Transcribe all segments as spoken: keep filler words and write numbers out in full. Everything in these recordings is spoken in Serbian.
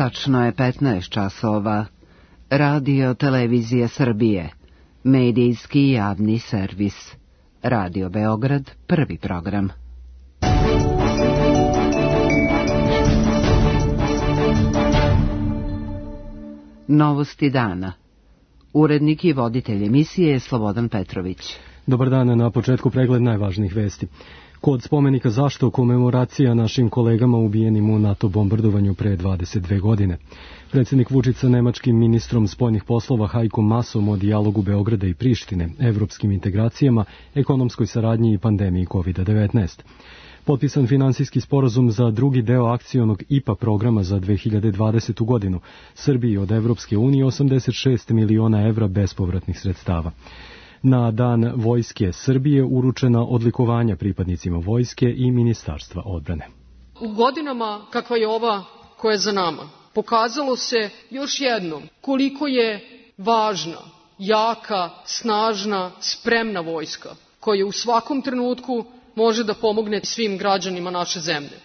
Tačno je petnaest časova. Radio Televizije Srbije. Medijski javni servis. Radio Beograd, prvi program. Novosti dana. Urednik i voditelj emisije je Slobodan Petrović. Dobar dan, na početku pregled najvažnijih vesti. Kod spomenika zašto komemoracija našim kolegama ubijenim u NATO bombardovanju pre dvadeset dve godine. Predsjednik Vučić sa nemačkim ministrom spoljnih poslova Heiko Maasom o dijalogu Beograda i Prištine, evropskim integracijama, ekonomskoj saradnji i pandemiji kovid devetnaest. Potpisan finansijski sporazum za drugi deo akcionog I P A programa za dve hiljade dvadesetu godinu. Srbiji od Evropske unije osamdeset šest miliona evra bespovratnih sredstava. Na dan Vojske Srbije uručena odlikovanja pripadnicima Vojske i Ministarstva odbrane. U godinama kakva je ova koja je za nama, pokazalo se još jednom koliko je važna, jaka, snažna, spremna vojska koja u svakom trenutku može da pomogne svim građanima naše zemlje.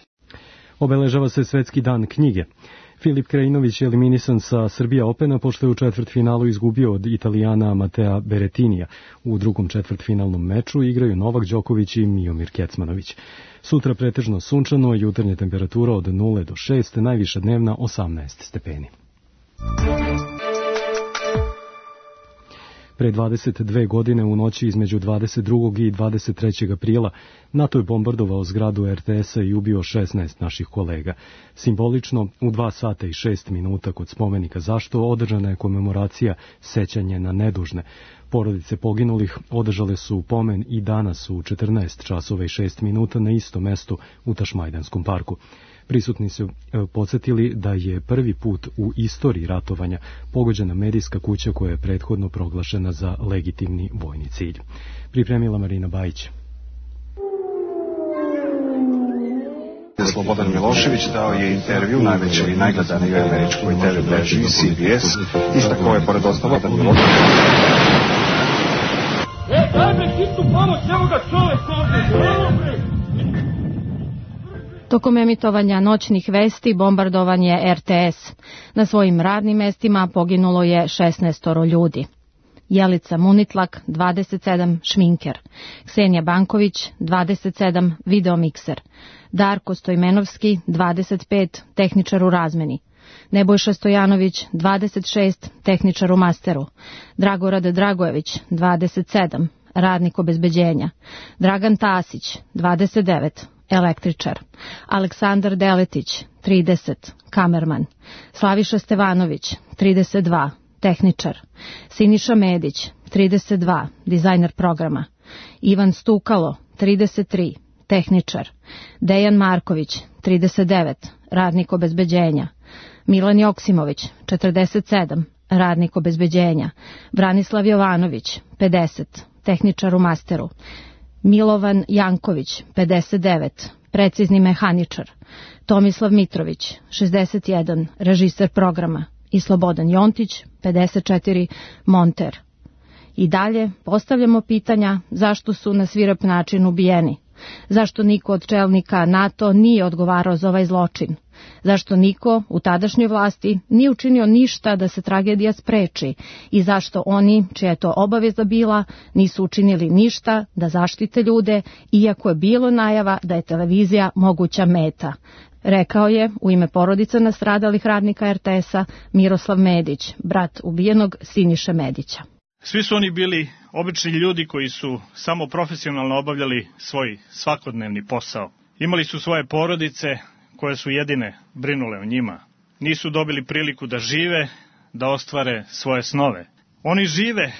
Obeležava se Svetski dan knjige. Filip Krajinović je eliminisan sa Srbija Opena pošto je u četvrtfinalu izgubio od Italijana Matea Berettinija. U drugom četvrtfinalnom meču igraju Novak Đoković i Miomir Kecmanović. Sutra pretežno sunčano, jutarnja temperatura od nula do šest, najviša dnevna osamnaest stepeni. Pre dvadeset dve godine u noći između dvadeset drugog i dvadeset trećeg aprila NATO je bombardovao zgradu R T S-a i ubio šesnaest naših kolega. Simbolično, u dva sata i šest minuta kod spomenika zašto održana je komemoracija sećanje na nedužne. Porodice poginulih održale su pomen i danas u četrnaest časova i šest minuta na istom mestu u Tašmajdanskom parku. Prisutni su podsjetili da je prvi put u istoriji ratovanja pogođena medijska kuća koja je prethodno proglašena za legitimni vojni cilj. Pripremila Marina Bajić. Slobodan Milošević dao je intervju najvećoj i najgledanijoj američkoj te ve mreži C B S, istakao je pored ostalog da Milošević... E, daj me hitnu pomoć, evo ga čovek ovdje, Tokom emitovanja noćnih vesti bombardovan je R T S. Na svojim radnim mestima poginulo je šesnaestoro ljudi. Jelica Munitlak, dvadeset sedam, šminker. Ksenija Banković, dvadeset sedam, videomikser. Darko Stojmenovski, dvadeset pet, tehničar u razmeni. Nebojša Stojanović, dvadeset šest, tehničar u masteru. Dragorad Dragojević, dvadeset sedam, radnik obezbeđenja. Dragan Tasić, dvadeset devet, električar. Aleksandar Deletić, trideset, kamerman. Slaviša Stevanović, trideset dva, tehničar. Siniša Medić, trideset dva, dizajner programa. Ivan Stukalo, trideset tri, tehničar. Dejan Marković, trideset devet, radnik obezbeđenja. Milan Joksimović, četrdeset sedam, radnik obezbeđenja. Branislav Jovanović, pedeset, tehničar u masteru. Milovan Janković, pedeset devet, precizni mehaničar. Tomislav Mitrović, šezdeset jedan, režiser programa. I Slobodan Jontić, pedeset četiri, monter. I dalje postavljamo pitanja zašto su na svirep način ubijeni. Zašto niko od čelnika NATO nije odgovarao za ovaj zločin? Zašto niko u tadašnjoj vlasti nije učinio ništa da se tragedija spreči i zašto oni, čija je to obaveza bila, nisu učinili ništa da zaštite ljude, iako je bilo najava da je televizija moguća meta? Rekao je u ime porodica nastradalih radnika R T S-a Miroslav Medić, brat ubijenog Siniše Medića. Svi su oni bili obični ljudi koji su samo profesionalno obavljali svoj svakodnevni posao. Imali su svoje porodice koje su jedine brinule o njima. Nisu dobili priliku da žive, da ostvare svoje snove. Oni žive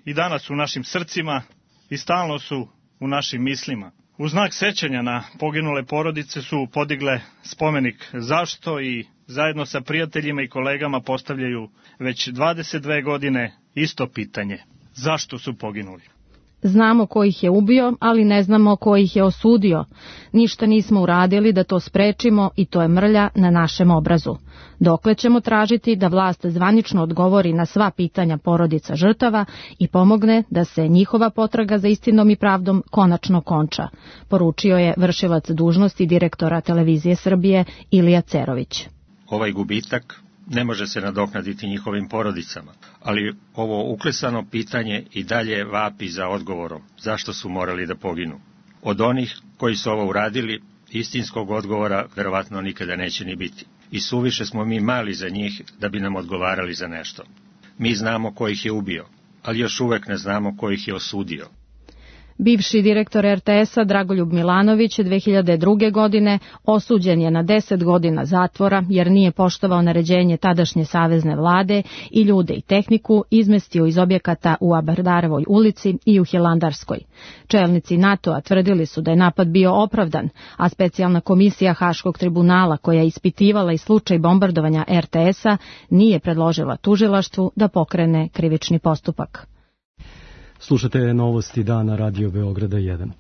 i danas u našim srcima i stalno su u našim mislima. U znak sećanja na poginule porodice su podigle spomenik zašto i zajedno sa prijateljima i kolegama postavljaju već dvadeset dve godine isto pitanje. Zašto su poginuli? Znamo ko ih je ubio, ali ne znamo ko ih je osudio. Ništa nismo uradili da to sprečimo i to je mrlja na našem obrazu. Dokle ćemo tražiti da vlast zvanično odgovori na sva pitanja porodica žrtava i pomogne da se njihova potraga za istinom i pravdom konačno konča, poručio je vršilac dužnosti direktora Televizije Srbije Ilija Cerović. Ovaj gubitak ne može se nadoknaditi njihovim porodicama, ali ovo uklesano pitanje i dalje vapi za odgovorom zašto su morali da poginu. Od onih koji su ovo uradili, istinskog odgovora verovatno nikada neće ni biti. I suviše smo mi mali za njih da bi nam odgovarali za nešto. Mi znamo ko ih je ubio, ali još uvek ne znamo ko ih je osudio. Bivši direktor er te es-a Dragoljub Milanović dve hiljade druge. godine osuđen je na deset godina zatvora jer nije poštovao naređenje tadašnje savezne vlade i ljude i tehniku izmestio iz objekata u Abardarovoj ulici i u Hilandarskoj. Čelnici NATO-a tvrdili su da je napad bio opravdan, a specijalna komisija Haškog tribunala koja je ispitivala i slučaj bombardovanja er te es-a nije predložila tužilaštvu da pokrene krivični postupak. Slušate novosti dana Radio Beograda jedan.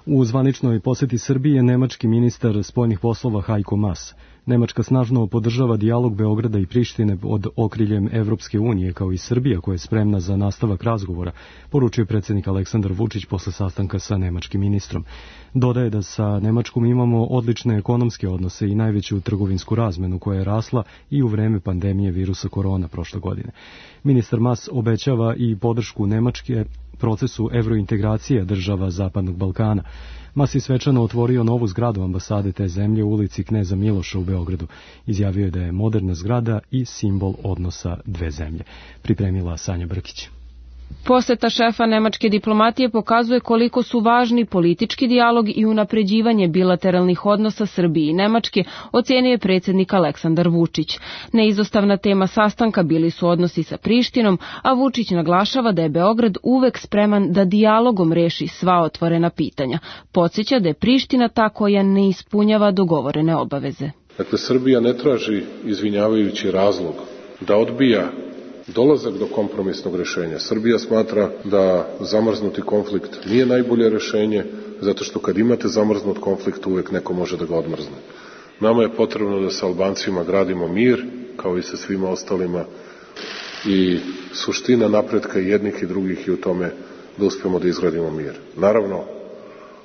U zvaničnoj poseti Srbije nemački ministar spoljnih poslova Heiko Maas. Nemačka snažno podržava dijalog Beograda i Prištine pod okriljem Evropske unije, kao i Srbija koja je spremna za nastavak razgovora, poručio predsjednik Aleksandar Vučić posle sastanka sa nemačkim ministrom. Dodaje da sa Nemačkom imamo odlične ekonomske odnose i najveću trgovinsku razmenu koja je rasla i u vreme pandemije virusa korona prošle godine. Ministar Maas obećava i podršku Nemačke procesu evrointegracije država Zapadnog Balkana. Maas je svečano otvorio novu zgradu ambasade te zemlje u ulici Kneza Miloša u Beogradu. Izjavio je da je moderna zgrada i simbol odnosa dve zemlje. Pripremila Sanja Brkić. Poseta šefa nemačke diplomatije pokazuje koliko su važni politički dijalog i unapređivanje bilateralnih odnosa Srbije i Nemačke, ocenio je predsjednik Aleksandar Vučić. Neizostavna tema sastanka bili su odnosi sa Prištinom, a Vučić naglašava da je Beograd uvek spreman da dijalogom reši sva otvorena pitanja. Podsjeća da je Priština ta koja ne ispunjava dogovorene obaveze. Dakle, Srbija ne traži izvinjavajući razlog da odbija dolazak do kompromisnog rešenja. Srbija smatra da zamrznuti konflikt nije najbolje rešenje, zato što kad imate zamrznut konflikt uvek neko može da ga odmrzne. Nama je potrebno da sa Albancima gradimo mir, kao i sa svima ostalima, i suština napretka jednih i drugih je u tome da uspemo da izgradimo mir. Naravno,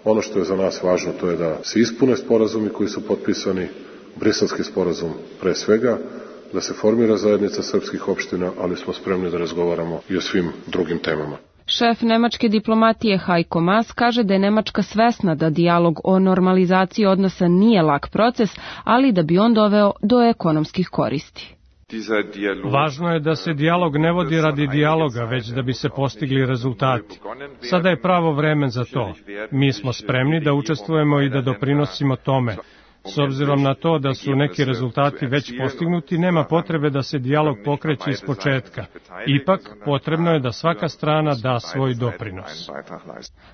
ono što je za nas važno to je da se ispune sporazumi koji su potpisani, Briselski sporazum pre svega, da se formira zajednica srpskih opština, ali smo spremni da razgovaramo i o svim drugim temama. Šef nemačke diplomatije Heiko Maas kaže da je Nemačka svesna da dijalog o normalizaciji odnosa nije lak proces, ali da bi on doveo do ekonomskih koristi. Važno je da se dijalog ne vodi radi dijaloga, već da bi se postigli rezultati. Sada je pravo vreme za to. Mi smo spremni da učestvujemo i da doprinosimo tome. S obzirom na to da su neki rezultati već postignuti, nema potrebe da se dijalog pokreće iz početka. Ipak, potrebno je da svaka strana da svoj doprinos.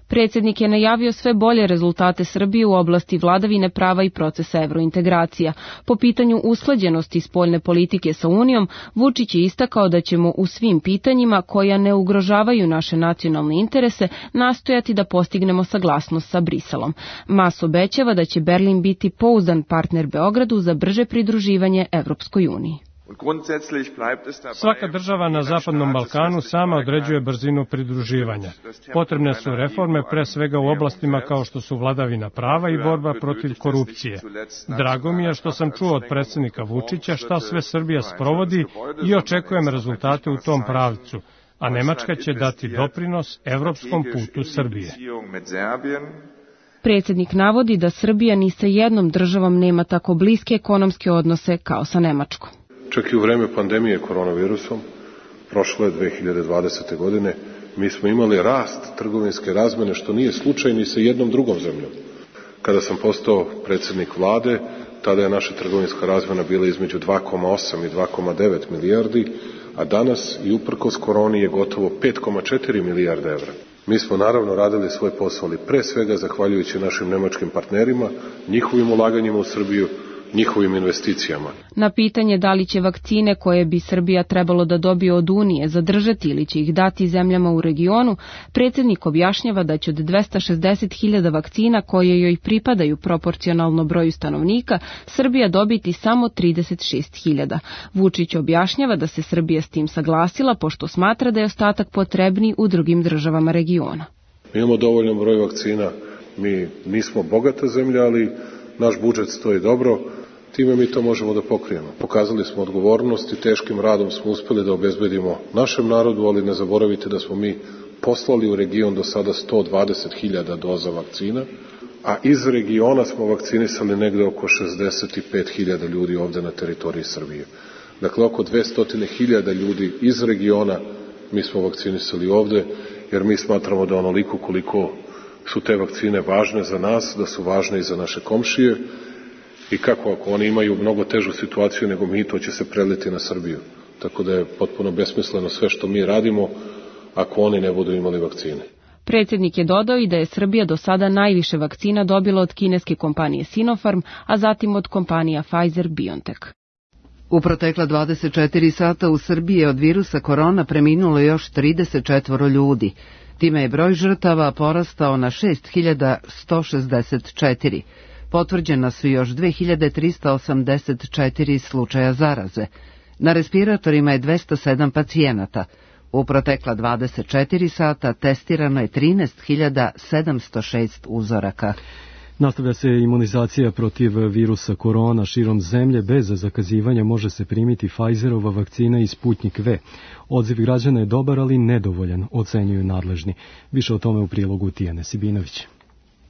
Predsjednik je najavio sve bolje rezultate Srbije u oblasti vladavine prava i procesa evrointegracija. Po pitanju usklađenosti spoljne politike sa Unijom, Vučić je istakao da ćemo u svim pitanjima koja ne ugrožavaju naše nacionalne interese nastojati da postignemo saglasnost sa Briselom. Maas obećava da će Berlin biti pouzdan partner Beogradu za brže pridruživanje Evropskoj uniji. Svaka država na Zapadnom Balkanu sama određuje brzinu pridruživanja. Potrebne su reforme pre svega u oblastima kao što su vladavina prava i borba protiv korupcije. Drago mi je što sam čuo od predsjednika Vučića šta sve Srbija sprovodi i očekujem rezultate u tom pravcu, a Nemačka će dati doprinos evropskom putu Srbije. Predsjednik navodi da Srbija ni sa jednom državom nema tako bliske ekonomske odnose kao sa Nemačkom. Čak i u vreme pandemije koronavirusom, prošle dve hiljade dvadesete. godine, mi smo imali rast trgovinske razmene, što nije slučaj ni sa jednom drugom zemljom. Kada sam postao predsjednik vlade, tada je naša trgovinska razmena bila između dva zarez osam i dva zarez devet milijardi, a danas i uprkos koroni je gotovo pet zarez četiri milijarde evra. Mi smo naravno radili svoj posao, ali pre svega zahvaljujući našim nemačkim partnerima, njihovim ulaganjima u Srbiju, njihovim investicijama. Na pitanje da li će vakcine koje bi Srbija trebalo da dobije od Unije zadržati ili će ih dati zemljama u regionu, predsjednik objašnjava da će od dvesta šezdeset hiljada vakcina koje joj pripadaju proporcionalno broju stanovnika, Srbija dobiti samo trideset šest hiljada. Vučić objašnjava da se Srbija s tim saglasila pošto smatra da je ostatak potrebniji u drugim državama regiona. Mi imamo dovoljan broj vakcina, mi nismo bogata zemlja, ali naš budžet stoji dobro. time mi to možemo da pokrijemo. Pokazali smo odgovornost i teškim radom smo uspeli da obezbedimo našem narodu, ali ne zaboravite da smo mi poslali u region do sada sto dvadeset hiljada doza vakcina, a iz regiona smo vakcinisali negde oko šezdeset pet hiljada ljudi ovde na teritoriji Srbije. Dakle, oko dvesta hiljada ljudi iz regiona mi smo vakcinisali ovde, jer mi smatramo da onoliko koliko su te vakcine važne za nas, da su važne i za naše komšije, i kako ako oni imaju mnogo težu situaciju nego mi, to će se preliti na Srbiju. Tako da je potpuno besmisleno sve što mi radimo ako oni ne budu imali vakcine. Predsjednik je dodao i da je Srbija do sada najviše vakcina dobila od kineske kompanije Sinopharm, a zatim od kompanija Pfizer-BioNTech. U protekla dvadeset četiri sata u Srbiji je od virusa korona preminulo još trideset četiri ljudi. Time je broj žrtava porastao na šest hiljada sto šezdeset četiri. Potvrđena su još dve hiljade trista osamdeset četiri slučaja zaraze. Na respiratorima je dvesta sedam pacijenata. U protekla dvadeset četiri sata testirano je trinaest hiljada sedamsto šest uzoraka. Nastavlja se imunizacija protiv virusa korona širom zemlje. Bez zakazivanja može se primiti Pfizerova vakcina i Sputnik V. Odziv građana je dobar, ali nedovoljan, ocenjuju nadležni. Više o tome u prilogu Tijane Sibinović.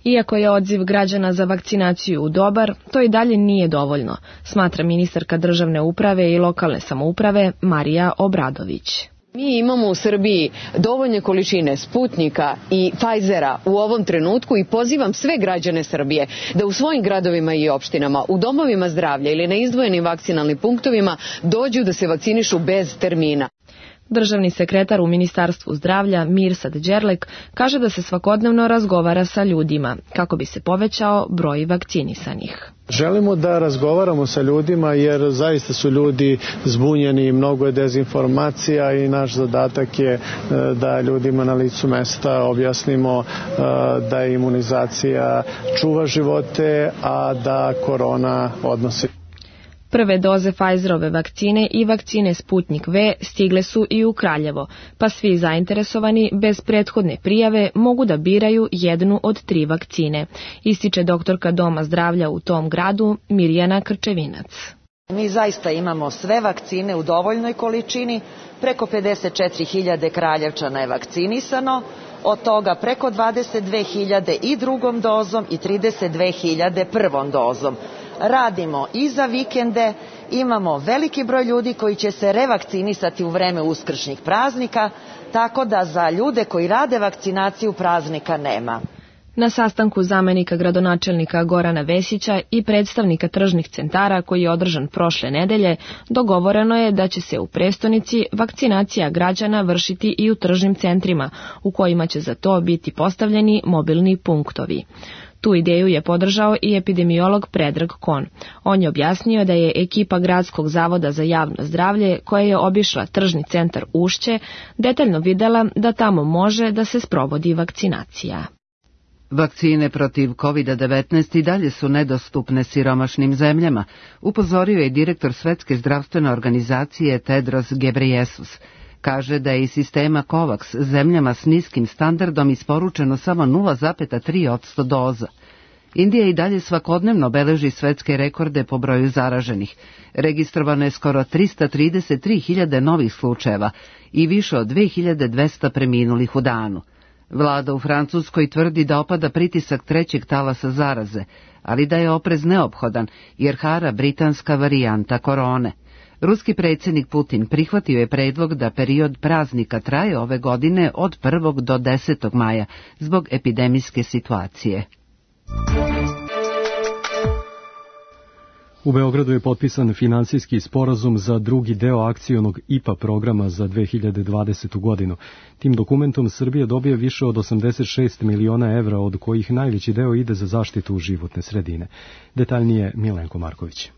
Iako je odziv građana za vakcinaciju dobar, to i dalje nije dovoljno, smatra ministarka državne uprave i lokalne samouprave Marija Obradović. Mi imamo u Srbiji dovoljne količine Sputnika i Pfizera u ovom trenutku i pozivam sve građane Srbije da u svojim gradovima i opštinama, u domovima zdravlja ili na izdvojenim vakcinalnim punktovima dođu da se vakcinišu bez termina. Državni sekretar u Ministarstvu zdravlja Mirsad Đerlek kaže da se svakodnevno razgovara sa ljudima kako bi se povećao broj vakcinisanih. Želimo da razgovaramo sa ljudima jer zaista su ljudi zbunjeni, mnogo je dezinformacija i naš zadatak je da ljudima na licu mesta objasnimo da je imunizacija čuva živote, a da korona odnosi. Prve doze Pfizerove vakcine i vakcine Sputnik V stigle su i u Kraljevo, pa svi zainteresovani bez prethodne prijave mogu da biraju jednu od tri vakcine, ističe doktorka Doma zdravlja u tom gradu Mirjana Krčevinac. Mi zaista imamo sve vakcine u dovoljnoj količini, preko pedeset četiri hiljade Kraljevčana je vakcinisano, od toga preko dvadeset dve hiljade i drugom dozom i trideset dve hiljade prvom dozom. Radimo i za vikende, imamo veliki broj ljudi koji će se revakcinisati u vreme uskršnjih praznika, tako da za ljude koji rade vakcinaciju praznika nema. Na sastanku zamenika gradonačelnika Gorana Vesića i predstavnika tržnih centara koji je održan prošle nedelje, dogovoreno je da će se u prestonici vakcinacija građana vršiti i u tržnim centrima, u kojima će za to biti postavljeni mobilni punktovi. Tu ideju je podržao i epidemiolog Predrag Kon. On je objasnio da je ekipa Gradskog zavoda za javno zdravlje, koja je obišla tržni centar Ušće, detaljno videla da tamo može da se sprovodi vakcinacija. Vakcine protiv kovid devetnaest i dalje su nedostupne siromašnim zemljama, upozorio je direktor Svetske zdravstvene organizacije Tedros Ghebreyesus. Kaže da je iz sistema COVAX zemljama s niskim standardom isporučeno samo nula zarez tri posto doza. Indija i dalje svakodnevno beleži svetske rekorde po broju zaraženih. Registrovano je skoro trista trideset tri hiljade novih slučajeva i više od dve hiljade dvesta preminulih u danu. Vlada u Francuskoj tvrdi da opada pritisak trećeg talasa zaraze, ali da je oprez neophodan jer hara britanska varijanta korone. Ruski predsjednik Putin prihvatio je predlog da period praznika traje ove godine od prvog do desetog maja zbog epidemijske situacije. U Beogradu je potpisan finansijski sporazum za drugi deo akcionog I P A programa za dve hiljade dvadesetu godinu. Tim dokumentom Srbija dobija više od osamdeset šest miliona evra, od kojih najveći deo ide za zaštitu životne sredine. Detaljnije Milenko Marković.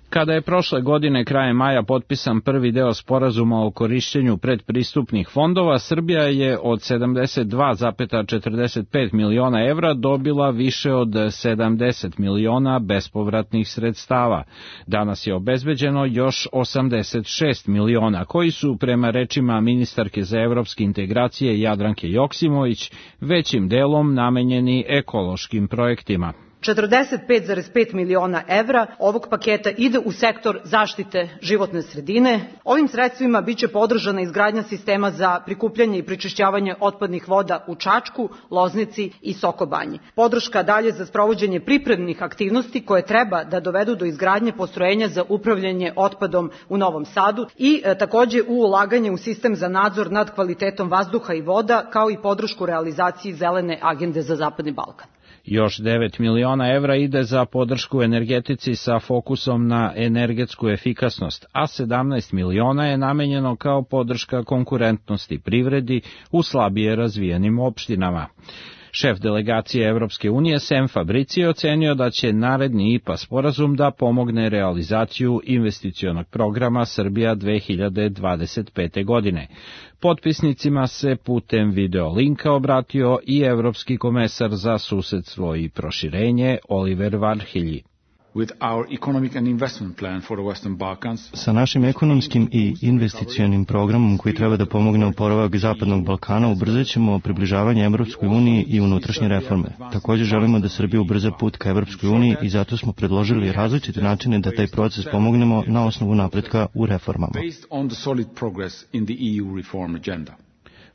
Kada je prošle godine krajem maja potpisan prvi deo sporazuma o korišćenju predpristupnih fondova, Srbija je od sedamdeset dva zarez četrdeset pet miliona evra dobila više od sedamdeset miliona bespovratnih sredstava. Danas je obezbeđeno još osamdeset šest miliona, koji su, prema rečima ministarke za evropske integracije Jadranke Joksimović, većim delom namenjeni ekološkim projektima. četrdeset pet zarez pet miliona evra ovog paketa ide u sektor zaštite životne sredine. Ovim sredstvima biće podržana izgradnja sistema za prikupljanje i prečišćavanje otpadnih voda u Čačku, Loznici i Sokobanji. Podrška dalje za sprovođenje pripremnih aktivnosti koje treba da dovedu do izgradnje postrojenja za upravljanje otpadom u Novom Sadu i e, takođe u ulaganje u sistem za nadzor nad kvalitetom vazduha i voda, kao i podršku realizaciji zelene agende za Zapadni Balkan. Još devet miliona evra ide za podršku energetici sa fokusom na energetsku efikasnost, a sedamnaest miliona je namenjeno kao podrška konkurentnosti privredi u slabije razvijenim opštinama. Šef delegacije Evropske unije Sem Fabrici je ocenio da će naredni I P A sporazum da pomogne realizaciju investicionog programa Srbija dve hiljade dvadeset pete. godine. Potpisnicima se putem videolinka obratio i Evropski komesar za susedstvo i proširenje Oliver Varhelyi. Sa našim ekonomskim i investicionim programom koji treba da pomogne oporavak Zapadnog Balkana ubrzat ćemo približavanje Evropskoj uniji i unutrašnje reforme. Također želimo da Srbija ubrza put ka Evropskoj uniji i zato smo predložili različite načine da taj proces pomognemo na osnovu napretka u reformama.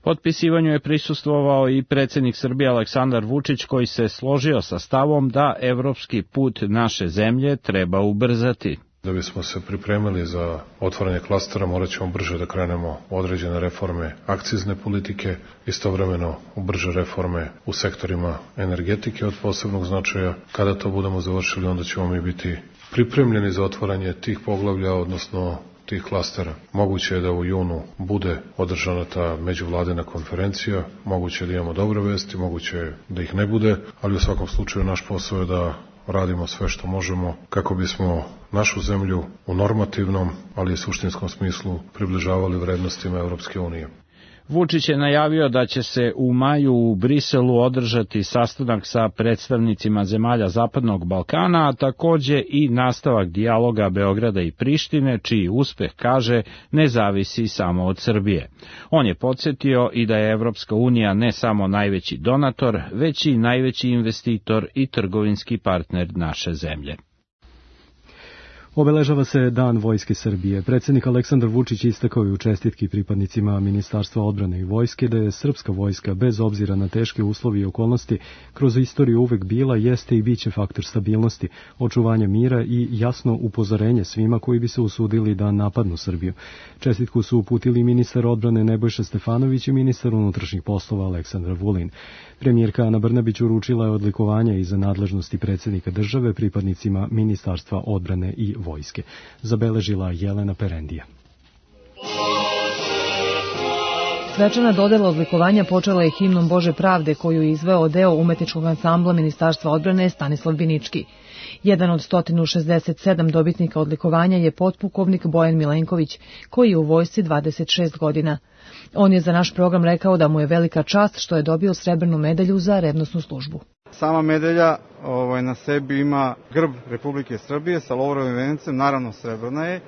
Potpisivanju je prisustvovao i predsjednik Srbije Aleksandar Vučić, koji se složio sa stavom da evropski put naše zemlje treba ubrzati. Da bismo se pripremili za otvaranje klastera, morat ćemo brže da krenemo određene reforme akcizne politike, istovremeno u brže reforme u sektorima energetike od posebnog značaja. Kada to budemo završili, onda ćemo mi biti pripremljeni za otvaranje tih poglavlja, odnosno tih klastera. Moguće je da u junu bude održana ta međuvladina konferencija, moguće je da imamo dobre vesti, moguće je da ih ne bude, ali u svakom slučaju naš posao je da radimo sve što možemo kako bismo našu zemlju u normativnom, ali i suštinskom smislu približavali vrednostima Evropske unije. Vučić je najavio da će se u maju u Briselu održati sastanak sa predstavnicima zemalja Zapadnog Balkana, a takođe i nastavak dijaloga Beograda i Prištine, čiji uspeh, kaže, ne zavisi samo od Srbije. On je podsjetio i da je Evropska unija ne samo najveći donator, već i najveći investitor i trgovinski partner naše zemlje. Obeležava se Dan Vojske Srbije. Predsjednik Aleksandar Vučić istakao je u čestitki pripadnicima Ministarstva odbrane i vojske da je srpska vojska, bez obzira na teške uslovi i okolnosti, kroz istoriju uvek bila, jeste i biće faktor stabilnosti, očuvanja mira i jasno upozorenje svima koji bi se usudili da napadnu Srbiju. Čestitku su uputili ministar odbrane Nebojša Stefanović i ministar unutrašnjih poslova Aleksandar Vulin. Premijerka Ana Brnabić uručila je odlikovanje iza nadležnosti predsjednika države pripadnicima Ministarstva odbrane i vojske. Zabeležila Jelena Perendija. Svečana dodela odlikovanja počela je himnom Bože pravde koju je izveo deo umetničkog ansambla Ministarstva odbrane Stanislav Binički. Jedan od sto šezdeset sedam dobitnika odlikovanja je potpukovnik Bojan Milenković, koji je u vojsci dvadeset šest godina. On je za naš program rekao da mu je velika čast što je dobio srebrnu medalju za revnosnu službu. Sama medalja ovaj, na sebi ima grb Republike Srbije sa lovorovim vencem, naravno srebrna je,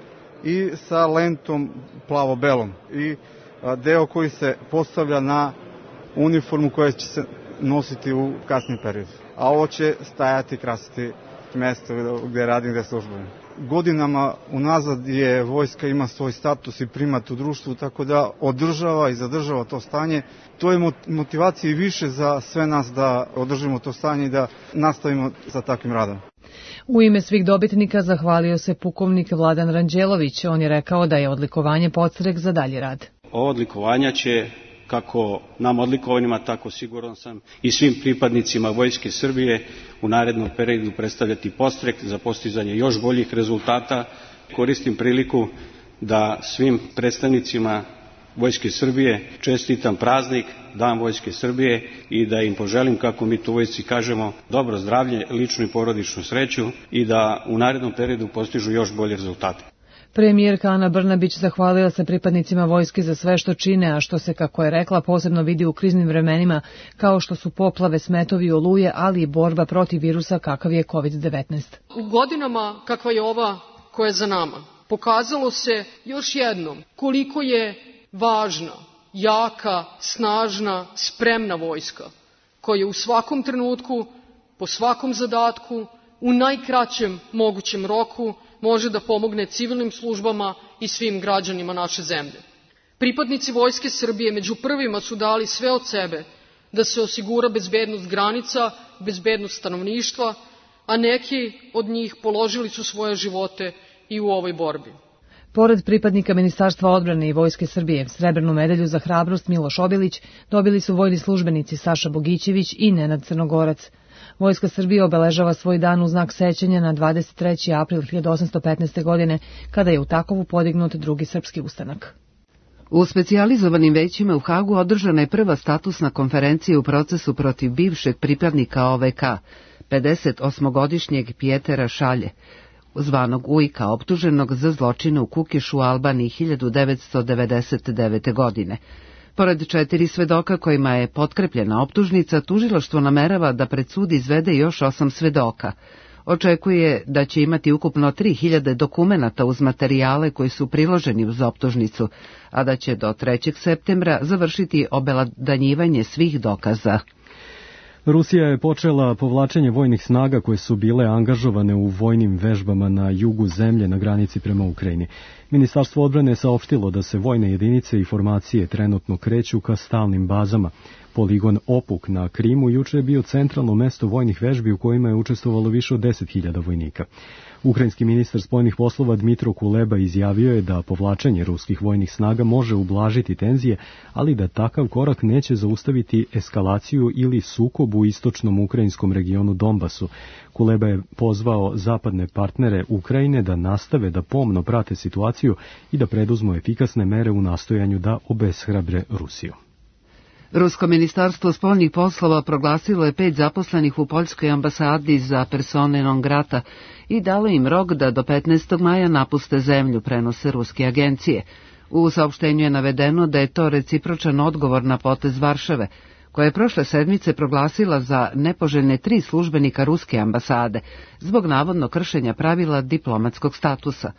i sa lentom plavo-belom. I a, deo koji se postavlja na uniformu koja će se nositi u kasnim periodu. A ovo će stajati i krasiti mesto gde radim, gde službujem. Godinama unazad je vojska ima svoj status i primat u društvu, tako da održava i zadržava to stanje. To je motivacija i više za sve nas da održimo to stanje i da nastavimo sa takvim radom. U ime svih dobitnika zahvalio se pukovnik Vladan Ranđelović. On je rekao da je odlikovanje podstrek za dalji rad. Ovo odlikovanja će, kako nam odlikovanima, tako siguran sam i svim pripadnicima Vojske Srbije u narednom periodu predstavljati podstrek za postizanje još boljih rezultata. Koristim priliku da svim predstavnicima Vojske Srbije čestitam praznik, Dan Vojske Srbije, i da im poželim, kako mi tu u vojsci kažemo, dobro zdravlje, ličnu i porodičnu sreću i da u narednom periodu postižu još bolje rezultate. Premijerka Ana Brnabić zahvalila se pripadnicima vojske za sve što čine, a što se, kako je rekla, posebno vidi u kriznim vremenima, kao što su poplave, smetovi i oluje, ali i borba protiv virusa kakav je kovid devetnaest. U godinama kakva je ova koja je za nama, pokazalo se još jednom koliko je važna, jaka, snažna, spremna vojska, koja u svakom trenutku po svakom zadatku, u najkraćem mogućem roku, može da pomogne civilnim službama i svim građanima naše zemlje. Pripadnici Vojske Srbije među prvima su dali sve od sebe da se osigura bezbednost granica, bezbednost stanovništva, a neki od njih položili su svoje živote i u ovoj borbi. Pored pripadnika Ministarstva odbrane i Vojske Srbije, srebrnu medalju za hrabrost Miloš Obilić dobili su vojni službenici Saša Bogićević i Nenad Crnogorac. Vojska Srbije obeležava svoj dan u znak sećanja na dvadeset treći april hiljadu osamsto petnaeste. godine, kada je u Takovu podignut drugi srpski ustanak. U specijalizovanim većima u Hagu održana je prva statusna konferencija u procesu protiv bivšeg pripadnika O V K, pedeset osmogodišnjeg Pjetera Šalje, zvanog Ujka, optuženog za zločine u Kukišu u Albaniji hiljadu devetsto devedeset devete. godine. Pored četiri svedoka kojima je potkrepljena optužnica, tužilaštvo namerava da pred sud izvede još osam svedoka. Očekuje da će imati ukupno tri hiljade dokumenata uz materijale koji su priloženi uz optužnicu, a da će do trećeg septembra završiti obelodanjivanje svih dokaza. Rusija je počela povlačenje vojnih snaga koje su bile angažovane u vojnim vežbama na jugu zemlje na granici prema Ukrajini. Ministarstvo odbrane je saopštilo da se vojne jedinice i formacije trenutno kreću ka stalnim bazama. Poligon Opuk na Krimu juče je bio centralno mesto vojnih vežbi u kojima je učestvovalo više od deset hiljada vojnika. Ukrajinski ministar spoljnih poslova Dmitro Kuleba izjavio je da povlačenje ruskih vojnih snaga može ublažiti tenzije, ali da takav korak neće zaustaviti eskalaciju ili sukob u istočnom ukrajinskom regionu Donbasu. Kuleba je pozvao zapadne partnere Ukrajine da nastave da pomno prate situaciju i da preduzmu efikasne mere u nastojanju da obeshrabre Rusiju. Rusko ministarstvo spoljnih poslova proglasilo je pet zaposlenih u Poljskoj ambasadi za persone non grata i dalo im rok da do petnaestog maja napuste zemlju, prenose ruske agencije. U saopštenju je navedeno da je to recipročan odgovor na potez Varšave, koja je prošle sedmice proglasila za nepoželjne tri službenika ruske ambasade zbog navodno kršenja pravila diplomatskog statusa.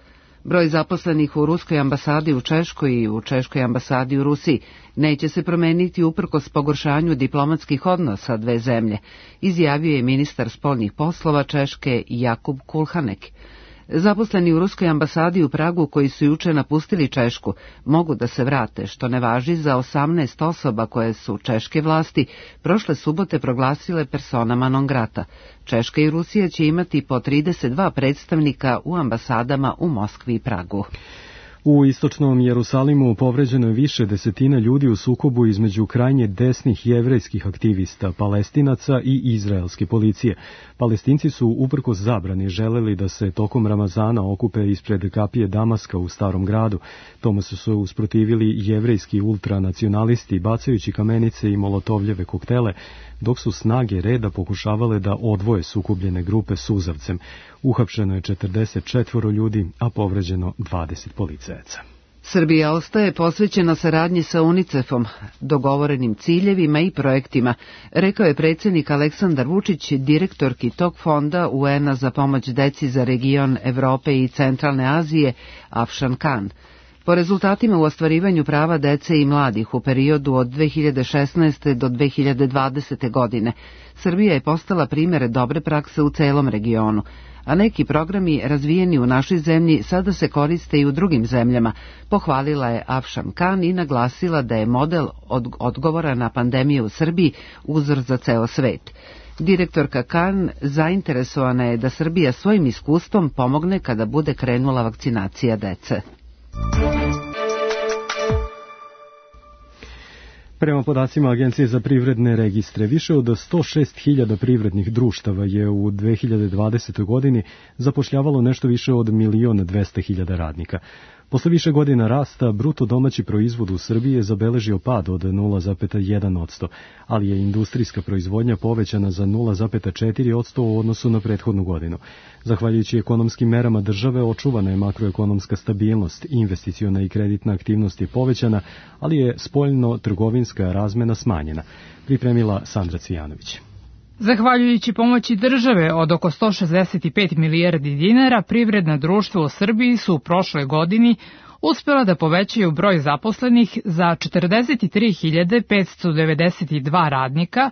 Broj zaposlenih u ruskoj ambasadi u Češkoj i u Češkoj ambasadi u Rusiji neće se promeniti uprkos pogoršanju diplomatskih odnosa dve zemlje, izjavio je ministar spoljnih poslova Češke Jakub Kulhanek. Zaposleni u ruskoj ambasadi u Pragu koji su juče napustili Češku mogu da se vrate, što ne važi za osamnaest osoba koje su češke vlasti prošle subote proglasile personama non grata. Češka i Rusija će imati po trideset dva predstavnika u ambasadama u Moskvi i Pragu. U istočnom Jerusalimu povređeno je više desetina ljudi u sukobu između krajnje desnih jevrejskih aktivista, Palestinaca i izraelske policije. Palestinci su uprkos zabrani želeli da se tokom Ramazana okupe ispred kapije Damaska u Starom gradu. Tome su se usprotivili jevrejski ultranacionalisti bacajući kamenice i molotovljeve koktele, dok su snage reda pokušavale da odvoje sukobljene grupe suzavcem. Uhapšeno je četrdeset četvoro ljudi, a povređeno dvadeset policajaca. Srbija ostaje posvećena saradnji sa UNICEF-om, dogovorenim ciljevima i projektima, rekao je predsjednik Aleksandar Vučić, direktorki tog fonda U N-a za pomoć deci za region Evrope i Centralne Azije, Afšan Kan. Po rezultatima u ostvarivanju prava dece i mladih u periodu od dve hiljade šesnaeste. do dve hiljade dvadesete. godine, Srbija je postala primjer dobre prakse u celom regionu, a neki programi razvijeni u našoj zemlji sada se koriste i u drugim zemljama, pohvalila je Afšan Kan i naglasila da je model od odgovora na pandemiju u Srbiji uzor za ceo svet. Direktorka Kan zainteresovana je da Srbija svojim iskustvom pomogne kada bude krenula vakcinacija dece. Prema podacima Agencije za privredne registre, više od sto šest hiljada privrednih društava je u dve hiljade dvadesetoj. godini zapošljavalo nešto više od milion dvesta hiljada radnika. Posle više godina rasta, bruto domaći proizvod u Srbiji je zabeležio pad od nula zarez jedan posto, ali je industrijska proizvodnja povećana za nula zarez četiri posto u odnosu na prethodnu godinu. Zahvaljujući ekonomskim merama države očuvana je makroekonomska stabilnost, investiciona i kreditna aktivnost je povećana, ali je spoljno-trgovinska razmena smanjena, pripremila Sandra Cvijanović. Zahvaljujući pomoći države od oko sto šezdeset pet milijardi dinara, privredna društva u Srbiji su u prošloj godini uspela da povećaju broj zaposlenih za četrdeset tri hiljade petsto devedeset dva radnika,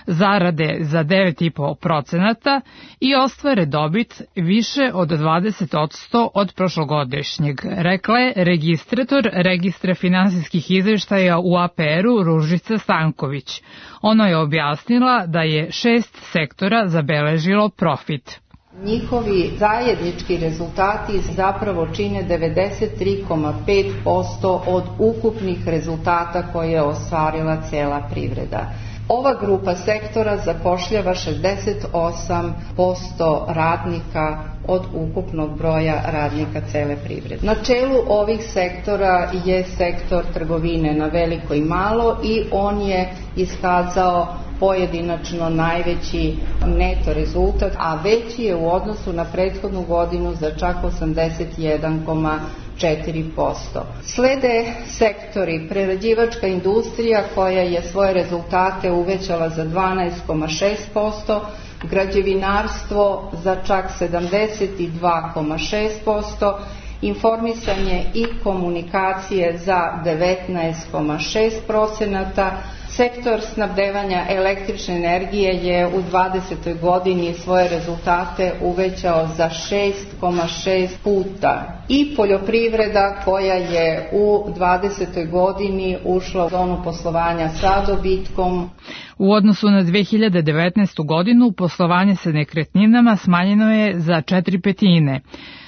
zarade za devet zarez pet procenata i ostvare dobit više od dvadeset posto od prošlogodišnjeg, rekla je registrator Registra finansijskih izveštaja u A P R-u Ružica Stanković. Ona je objasnila da je šest sektora zabeležilo profit. Njihovi zajednički rezultati zapravo čine devedeset tri zarez pet posto od ukupnih rezultata koje je ostvarila cela privreda. Ova grupa sektora zapošljava šezdeset osam posto radnika od ukupnog broja radnika cele privrede. Na čelu ovih sektora je sektor trgovine na veliko i malo i on je iskazao pojedinačno najveći neto rezultat, a veći je u odnosu na prethodnu godinu za čak osamdeset jedan zarez četiri posto. Slede sektori prerađivačka industrija koja je svoje rezultate uvećala za dvanaest zarez šest posto, građevinarstvo za čak sedamdeset dva zarez šest posto, informisanje i komunikacije za devetnaest zarez šest procenata, sektor snabdevanja električne energije je u dvadesetoj godini svoje rezultate uvećao za šest zarez šest puta i poljoprivreda koja je u dvadesetoj godini ušla u zonu poslovanja sa dobitkom. U odnosu na dve hiljade devetnaestu. godinu poslovanje sa nekretninama smanjeno je za četiri petine.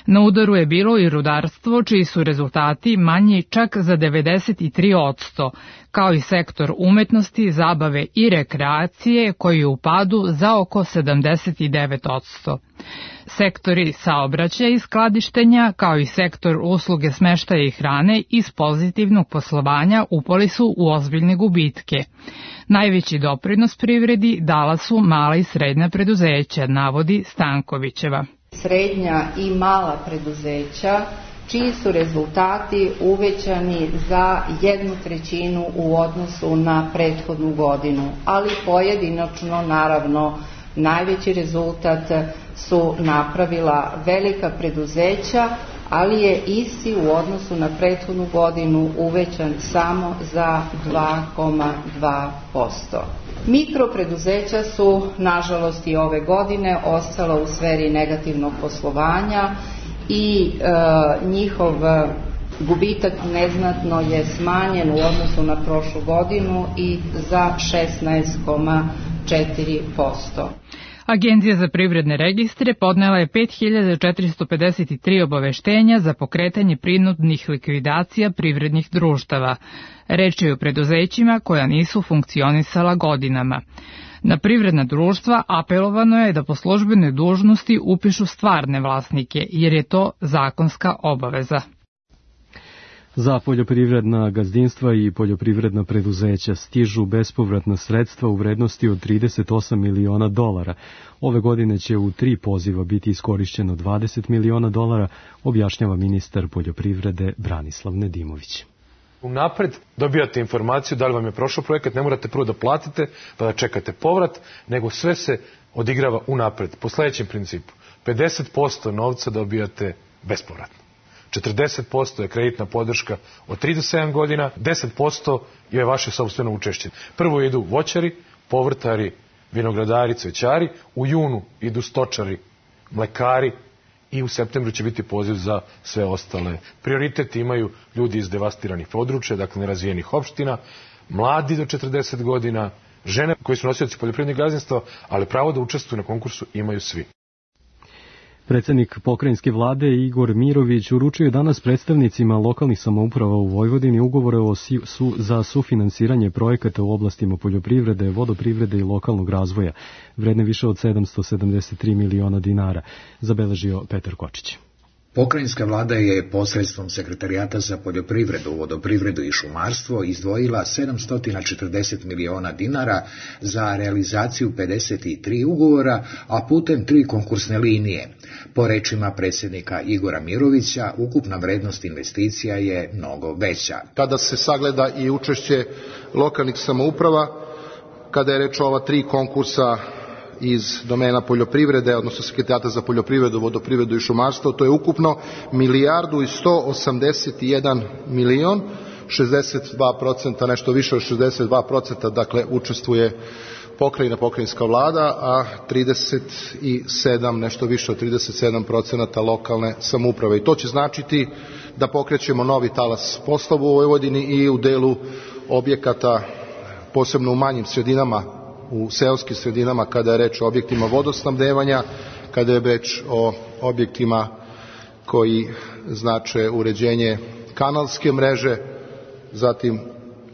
Na udaru je bilo i rudarstvo, čiji su rezultati manji čak za devedeset tri posto, kao i sektor umetnosti, zabave i rekreacije koji je u padu za oko sedamdeset devet posto. Sektori saobraćaja i skladištenja, kao i sektor usluge smeštaja i hrane iz pozitivnog poslovanja upali su u ozbiljne gubitke. Najveći doprinos privredi dala su mala i srednja preduzeća, navodi Stankovićeva. Srednja i mala preduzeća, čiji su rezultati uvećani za jednu trećinu u odnosu na prethodnu godinu, ali pojedinačno, naravno, najveći rezultat su napravila velika preduzeća, ali je isti u odnosu na prethodnu godinu uvećan samo za dva zarez dva posto. Mikropreduzeća su, nažalost, i ove godine ostala u sferi negativnog poslovanja i e, njihov gubitak neznatno je smanjen u odnosu na prošlu godinu i za šesnaest zarez četiri posto. Agencija za privredne registre podnela je pet hiljada četiristo pedeset tri obaveštenja za pokretanje prinudnih likvidacija privrednih društava. Reč je o preduzećima koja nisu funkcionisala godinama. Na privredna društva apelovano je da po službenoj dužnosti upišu stvarne vlasnike, jer je to zakonska obaveza. Za poljoprivredna gazdinstva i poljoprivredna preduzeća stižu bespovratna sredstva u vrednosti od trideset osam miliona dolara. Ove godine će u tri poziva biti iskorišćeno dvadeset miliona dolara, objašnjava ministar poljoprivrede Branislav Nedimović. Unapred dobijate informaciju da li vam je prošao projekat, ne morate prvo da platite pa da čekate povrat, nego sve se odigrava unapred. Po sledećem principu, pedeset posto novca dobijate bespovratno. četrdeset posto je kreditna podrška od tri do sedam godina, deset posto je vaše sopstveno učešće. Prvo idu voćari, povrtari, vinogradari, cvećari, u junu idu stočari, mlekari i u septembru će biti poziv za sve ostale. Prioritet imaju ljudi iz devastiranih područja, dakle nerazvijenih opština, mladi do četrdeset godina, žene koji su nosioci poljoprivrednih gazdinstva, ali pravo da učestvuju na konkursu imaju svi. Predsednik pokrajinske vlade Igor Mirović uručio je danas predstavnicima lokalnih samouprava u Vojvodini ugovore o su, za sufinansiranje projekata u oblastima poljoprivrede, vodoprivrede i lokalnog razvoja, vredne više od sedamsto sedamdeset tri miliona dinara, zabeležio Petar Kočić. Pokrajinska vlada je posredstvom Sekretarijata za poljoprivredu, vodoprivredu i šumarstvo izdvojila sedamsto četrdeset miliona dinara za realizaciju pedeset tri ugovora, a putem tri konkursne linije. Po rečima predsjednika Igora Mirovića, ukupna vrednost investicija je mnogo veća. Kada se sagleda i učešće lokalnih samouprava, kada je reč o ova tri konkursa iz domena poljoprivrede, odnosno Sekretarijata za poljoprivredu, vodoprivredu i šumarstvo, to je ukupno milijardu i sto osamdeset jedan milion, šezdeset dva posto, nešto više od šezdeset dva posto, dakle učestvuje pokrajina, pokrajinska vlada, a trideset sedam, nešto više od trideset sedam procenata lokalne samouprave. I to će značiti da pokrećemo novi talas poslova u Vojvodini i u delu objekata, posebno u manjim sredinama, u seoskim sredinama, kada je reč o objektima vodosnabdevanja, kada je reč o objektima koji znače uređenje kanalske mreže, zatim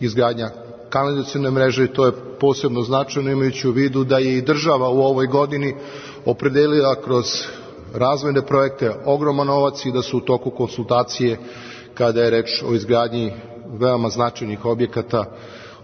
izgradnja kanalizacione mreže, i to je posebno značajno imajući u vidu da je i država u ovoj godini opredelila kroz razvojne projekte ogroman novac i da su u toku konsultacije kada je reč o izgradnji veoma značajnih objekata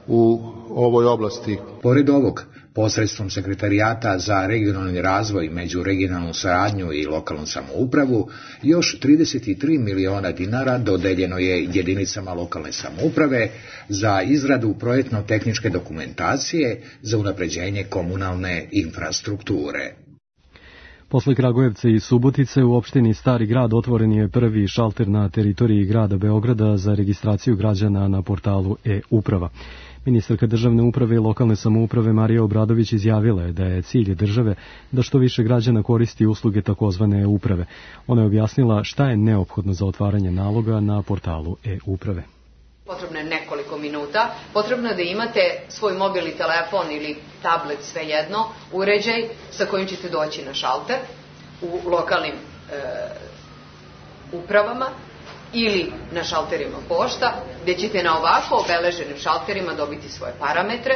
u ovoj oblasti. Pored ovog, posredstvom Sekretarijata za regionalni razvoj, međuregionalnu saradnju i lokalnu samoupravu, još trideset tri miliona dinara dodeljeno je jedinicama lokalne samouprave za izradu projektno-tehničke dokumentacije za unapređenje komunalne infrastrukture. Posle Kragujevca i Subotice u opštini Stari grad otvoren je prvi šalter na teritoriji grada Beograda za registraciju građana na portalu e-uprava. Ministarka državne uprave i lokalne samouprave Marija Obradović izjavila je da je cilj države da što više građana koristi usluge takozvane e-uprave. Ona je objasnila šta je neophodno za otvaranje naloga na portalu e-uprave. Potrebno je nekoliko minuta, potrebno je da imate svoj mobilni telefon ili tablet, svejedno, uređaj sa kojim ćete doći na šalter u lokalnim e, upravama ili na šalterima pošta, gdje ćete na ovako obeleženim šalterima dobiti svoje parametre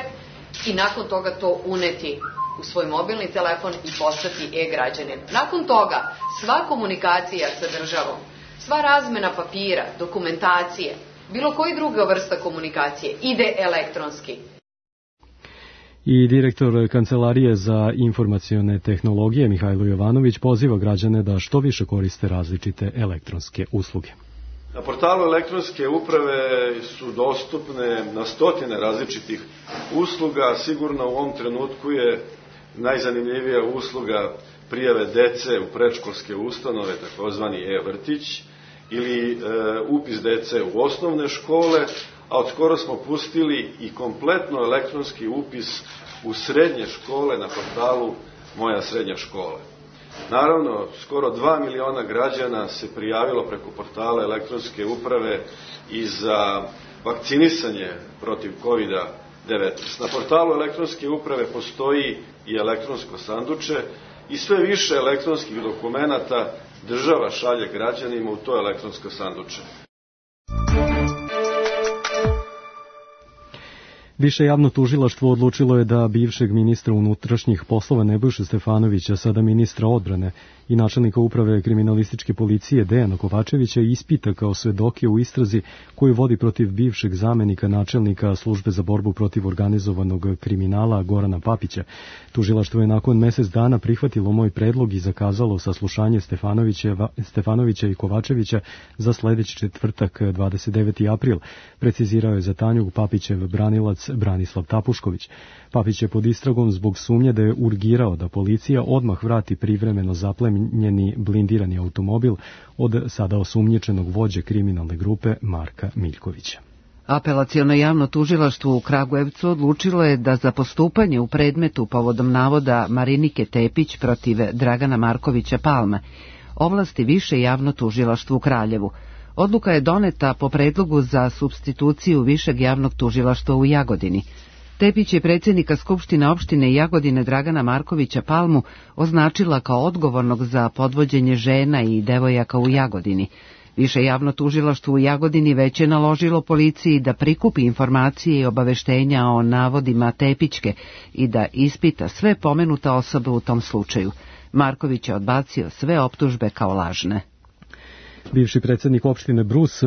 i nakon toga to uneti u svoj mobilni telefon i postati e-građanin. Nakon toga sva komunikacija sa državom, sva razmena papira, dokumentacije, bilo koji druga vrsta komunikacije ide elektronski. I direktor Kancelarije za informacione tehnologije Mihajlo Jovanović poziva građane da što više koriste različite elektronske usluge. Na portalu elektronske uprave su dostupne na stotine različitih usluga. Sigurno u ovom trenutku je najzanimljivija usluga prijave dece u predškolske ustanove, takozvani e-vrtić, ili e, upis dece u osnovne škole, a od skoro smo pustili i kompletno elektronski upis u srednje škole na portalu Moja srednja škola. Naravno, skoro dva miliona građana se prijavilo preko portala elektronske uprave i za vakcinisanje protiv kovid devetnaest. Na portalu elektronske uprave postoji i elektronsko sanduče i sve više elektronskih dokumenata država šalje građanima u to elektronsko sanduče. Više javno tužilaštvo odlučilo je da bivšeg ministra unutrašnjih poslova Nebojšu Stefanovića, sada ministra odbrane i načelnika uprave kriminalističke policije Dejana Kovačevića ispita kao svedoke u istrazi koju vodi protiv bivšeg zamenika načelnika službe za borbu protiv organizovanog kriminala Gorana Papića. Tužilaštvo je nakon mesec dana prihvatilo moj predlog i zakazalo saslušanje Stefanovića i Kovačevića za sledeći četvrtak, dvadeset deveti april, precizirao je za Tanjug Papićev branilac Branislav Tapušković. Papić je pod istragom zbog sumnje da je urgirao da policija odmah vrati privremeno zaplenjeni blindirani automobil od sada osumnjičenog vođe kriminalne grupe Marka Miljkovića. Apelaciono javno tužilaštvo u Kragujevcu odlučilo je da za postupanje u predmetu povodom navoda Marinike Tepić protiv Dragana Markovića Palme ovlasti više javno tužilaštvo u Kraljevu. Odluka je doneta po predlogu za supstituciju višeg javnog tužilaštva u Jagodini. Tepić je predsjednika Skupštine opštine Jagodine Dragana Markovića Palmu označila kao odgovornog za podvođenje žena i devojaka u Jagodini. Više javno tužilaštvo u Jagodini već je naložilo policiji da prikupi informacije i obaveštenja o navodima Tepićke i da ispita sve pomenute osobe u tom slučaju. Marković je odbacio sve optužbe kao lažne. Bivši predsjednik opštine Brus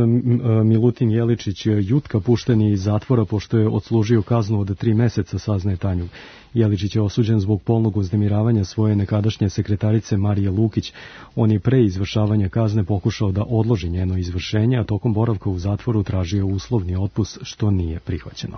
Milutin Jeličić Jutka pušten je iz zatvora pošto je odslužio kaznu od tri meseca, saznaje Tanjug. Jeličić je osuđen zbog polnog uznemiravanja svoje nekadašnje sekretarice Marije Lukić. On je pre izvršavanja kazne pokušao da odloži njeno izvršenje, a tokom boravka u zatvoru tražio uslovni otpust, što nije prihvaćeno.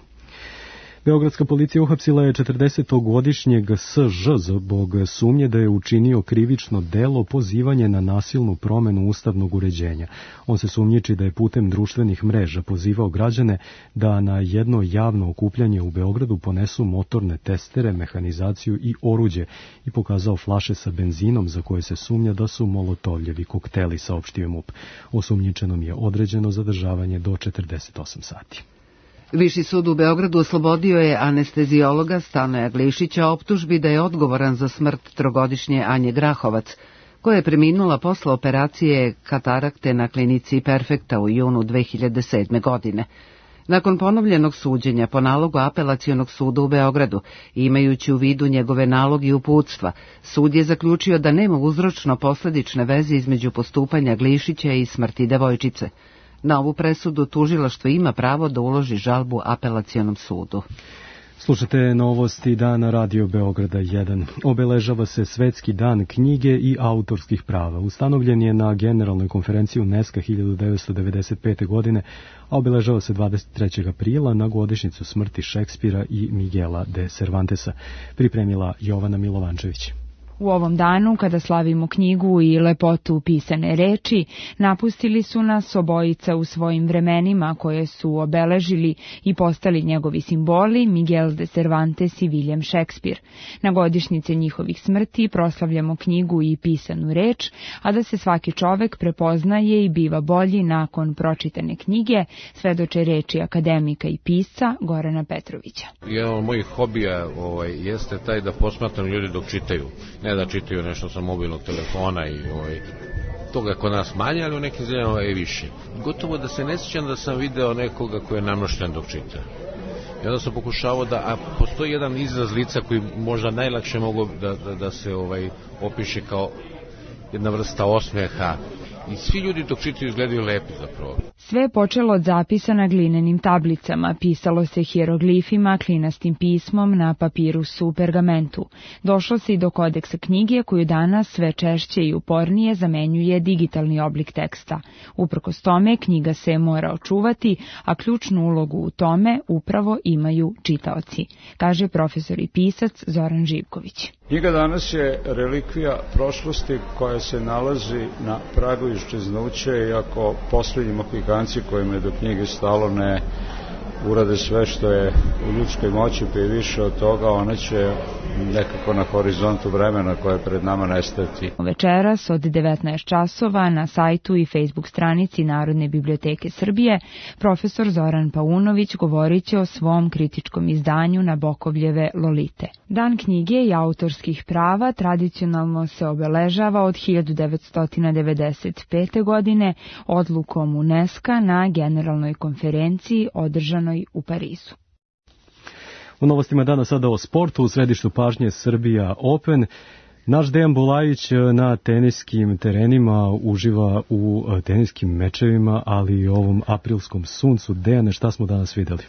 Beogradska policija uhapsila je četrdesetogodišnjeg S Ž zbog sumnje da je učinio krivično delo pozivanje na nasilnu promenu ustavnog uređenja. On se sumnjiči da je putem društvenih mreža pozivao građane da na jedno javno okupljanje u Beogradu ponesu motorne testere, mehanizaciju i oruđe i pokazao flaše sa benzinom za koje se sumnja da su molotovljevi kokteli, saopštio M U P. Osumnjičenom je određeno zadržavanje do četrdeset osam sati. Viši sud u Beogradu oslobodio je anestezijologa Stanoja Glišića optužbi da je odgovoran za smrt trogodišnje Anje Grahovac, koja je preminula posle operacije katarakte na klinici Perfekta u junu dve hiljade sedme. godine. Nakon ponovljenog suđenja po nalogu Apelacionog suda u Beogradu, imajući u vidu njegove naloge i uputstva, sud je zaključio da nema uzročno-posledične veze između postupanja Glišića i smrti devojčice. Na ovu presudu tužilaštvo ima pravo da uloži žalbu Apelacionom sudu. Slušate novosti dana Radio Beograda jedan. Obeležava se Svetski dan knjige i autorskih prava. Ustanovljen je na Generalnoj konferenciji UNESCO hiljadu devetsto devedeset pete. godine, a obeležava se dvadeset trećeg aprila na godišnjicu smrti Šekspira i Miguela de Cervantesa. Pripremila Jovana Milovančević. U ovom danu, kada slavimo knjigu i lepotu pisane reči, napustili su nas obojica u svojim vremenima koje su obeležili i postali njegovi simboli Miguel de Cervantes i William Shakespeare. Na godišnjice njihovih smrti proslavljamo knjigu i pisanu reč, a da se svaki čovek prepoznaje i biva bolji nakon pročitane knjige, svedoče reči akademika i pisca Gorana Petrovića. Jedan od mojih hobija ovaj, jeste taj da posmatram ljudi dok čitaju. Ne da čitaju nešto sa mobilnog telefona i ovaj, toga kod nas manje, ali u nekim zemljama je više. Gotovo da se ne sjećam da sam video nekoga koji je namnošten dok čita. I onda sam pokušavao da, a postoji jedan izraz lica koji možda najlakše mogu da, da, da se ovaj, opiše kao jedna vrsta osmeha. I svi ljudi dok čitaju izgledaju lepi zapravo. Sve je počelo od zapisa na glinenim tablicama, pisalo se hieroglifima, klinastim pismom na papirusu u pergamentu. Došlo se i do kodeksa knjige koju danas sve češće i upornije zamenjuje digitalni oblik teksta. Uprkos tome, knjiga se mora očuvati, a ključnu ulogu u tome upravo imaju čitaoci, kaže profesor i pisac Zoran Živković. Knjiga danas je relikvija prošlosti koja se nalazi na pragu iščeznuća, iako posljednji Mohikanci kojima je do knjige stalo ne urade sve što je u ljudskoj moći, pa i više od toga, one će nekako na horizontu vremena koje je pred nama nestati. Večeras od devetnaest časova na sajtu i Facebook stranici Narodne biblioteke Srbije profesor Zoran Paunović govorit će o svom kritičkom izdanju Nabokovljeve Lolite. Dan knjige i autorskih prava tradicionalno se obeležava od hiljadu devetsto devedeset pete. godine odlukom UNESCO na Generalnoj konferenciji održanoj u Parizu. U novostima dana sada o sportu, u središtu pažnje Srbija Open. Naš Dejan Bulajić na teniskim terenima uživa u teniskim mečevima, ali i ovom aprilskom suncu. Dejane, šta smo danas videli?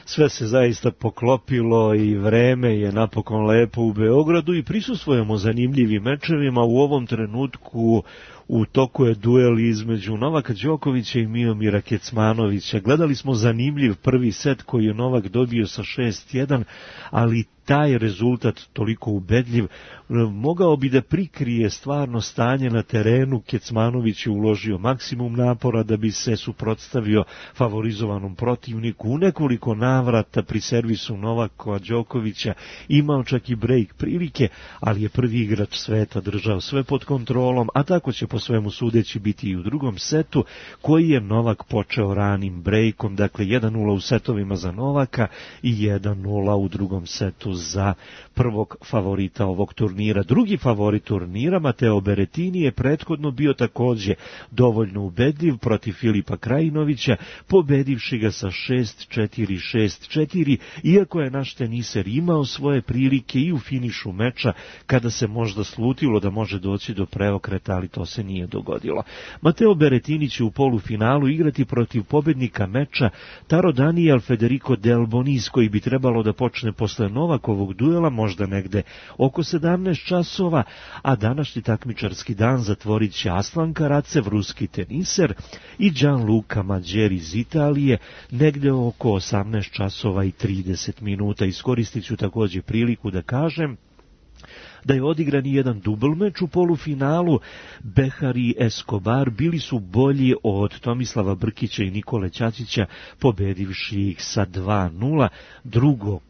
Sve se zaista poklopilo i vreme je napokon lepo u Beogradu i prisustvujemo zanimljivim mečevima. U ovom trenutku u toku je duel između Novaka Đokovića i Miomira Kecmanovića. Gledali smo zanimljiv prvi set koji je Novak dobio sa šest jedan, ali taj rezultat toliko ubedljiv mogao bi da prikrije stvarno stanje na terenu. Kecmanović je uložio maksimum napora da bi se suprotstavio favorizovanom protivniku. U nekoliko navrata pri servisu Novaka Đokovića imao čak i break prilike, ali je prvi igrač sveta držao sve pod kontrolom, a tako će po svemu sudeći biti i u drugom setu, koji je Novak počeo ranim breakom, dakle jedan nula u setovima za Novaka i jedan nula u drugom setu za prvog favorita ovog turnira. Drugi favorit turnira, Mateo Berettini, je prethodno bio također dovoljno ubedljiv protiv Filipa Krajinovića, pobedivši ga sa šest četiri šest četiri, iako je naš teniser imao svoje prilike i u finišu meča, kada se možda slutilo da može doći do preokreta, ali to se nije dogodilo. Mateo Berrettini će u polufinalu igrati protiv pobednika meča Taro Daniel Federico Del Bonis, koji bi trebalo da počne posle Novakovog duela možda negde oko sedamnaest časova, a današnji takmičarski dan zatvorit će Aslan Karatsev, ruski teniser, i Gianluca Mađer iz Italije negde oko osamnaest časova i trideset minuta. Iskoristit ću takođe priliku da kažem da je odigran jedan dubl meč u polufinalu. Behar i Escobar bili su bolji od Tomislava Brkića i Nikole Ćaćića, pobedivši ih sa dva nula. Drugog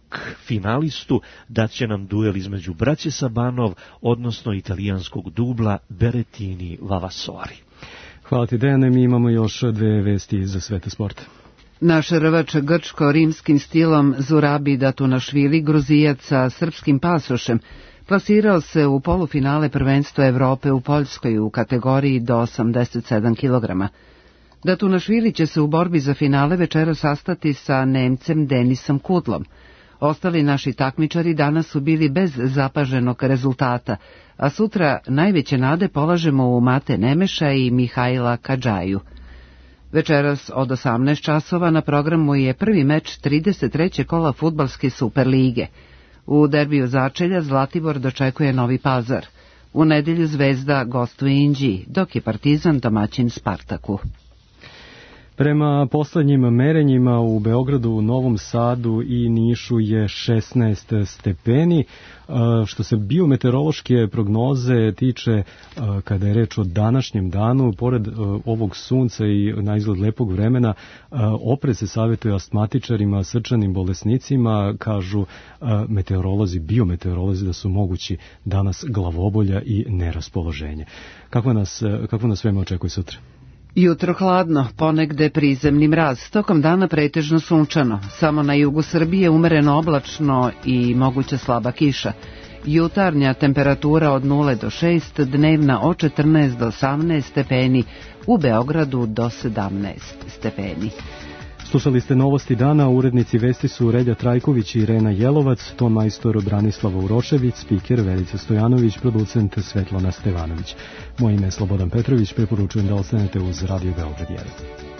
finalistu daće nam duel između braće Sabanov, odnosno italijanskog dubla Berrettini Vavasori. Hvala ti, Dejane. Mi imamo još dve vesti za svete sporta. Naš rvač grčko-rimskim stilom Zurabi Datunašvili, Gruzijac sa srpskim pasošem, plasirao se u polufinale prvenstva Evrope u Poljskoj u kategoriji do osamdeset sedam kilograma. Datunašvili će se u borbi za finale večera sastati sa Nemcem Denisom Kudlom. Ostali naši takmičari danas su bili bez zapaženog rezultata, a sutra najveće nade polažemo u Mate Nemeša i Mihajla Kadžaju. Večeras od osamnaest časova na programu je prvi meč trideset trećeg kola fudbalske Superlige. U derbiju začelja Zlatibor dočekuje Novi Pazar. U nedelju Zvezda gostuje Inđiji, dok je Partizan domaćin Spartaku. Prema poslednjim merenjima u Beogradu, Novom Sadu i Nišu je šesnaest stepeni. Što se biometeorološke prognoze tiče, kada je reč o današnjem danu, pored ovog sunca i na izgled lepog vremena, oprez se savjetuje astmatičarima, srčanim bolesnicima, kažu meteorolozi, biometeorolozi da su mogući danas glavobolja i neraspoloženje. Kako nas, kako nas svema očekuje sutra? Jutro hladno, ponegde prizemni mraz, tokom dana pretežno sunčano, samo na jugu Srbije umereno oblačno i moguća slaba kiša. Jutarnja temperatura od nula do šest, dnevna od četrnaest do osamnaest stepeni, u Beogradu do sedamnaest stepeni. Slušali ste novosti dana, urednici vesti su Relja Trajković i Irena Jelovac, ton majstor Branislava Urošević, spiker Verica Stojanović, producent Svetlana Stevanović. Moje ime je Slobodan Petrović, preporučujem da ostanete uz Radio Beograd jedan.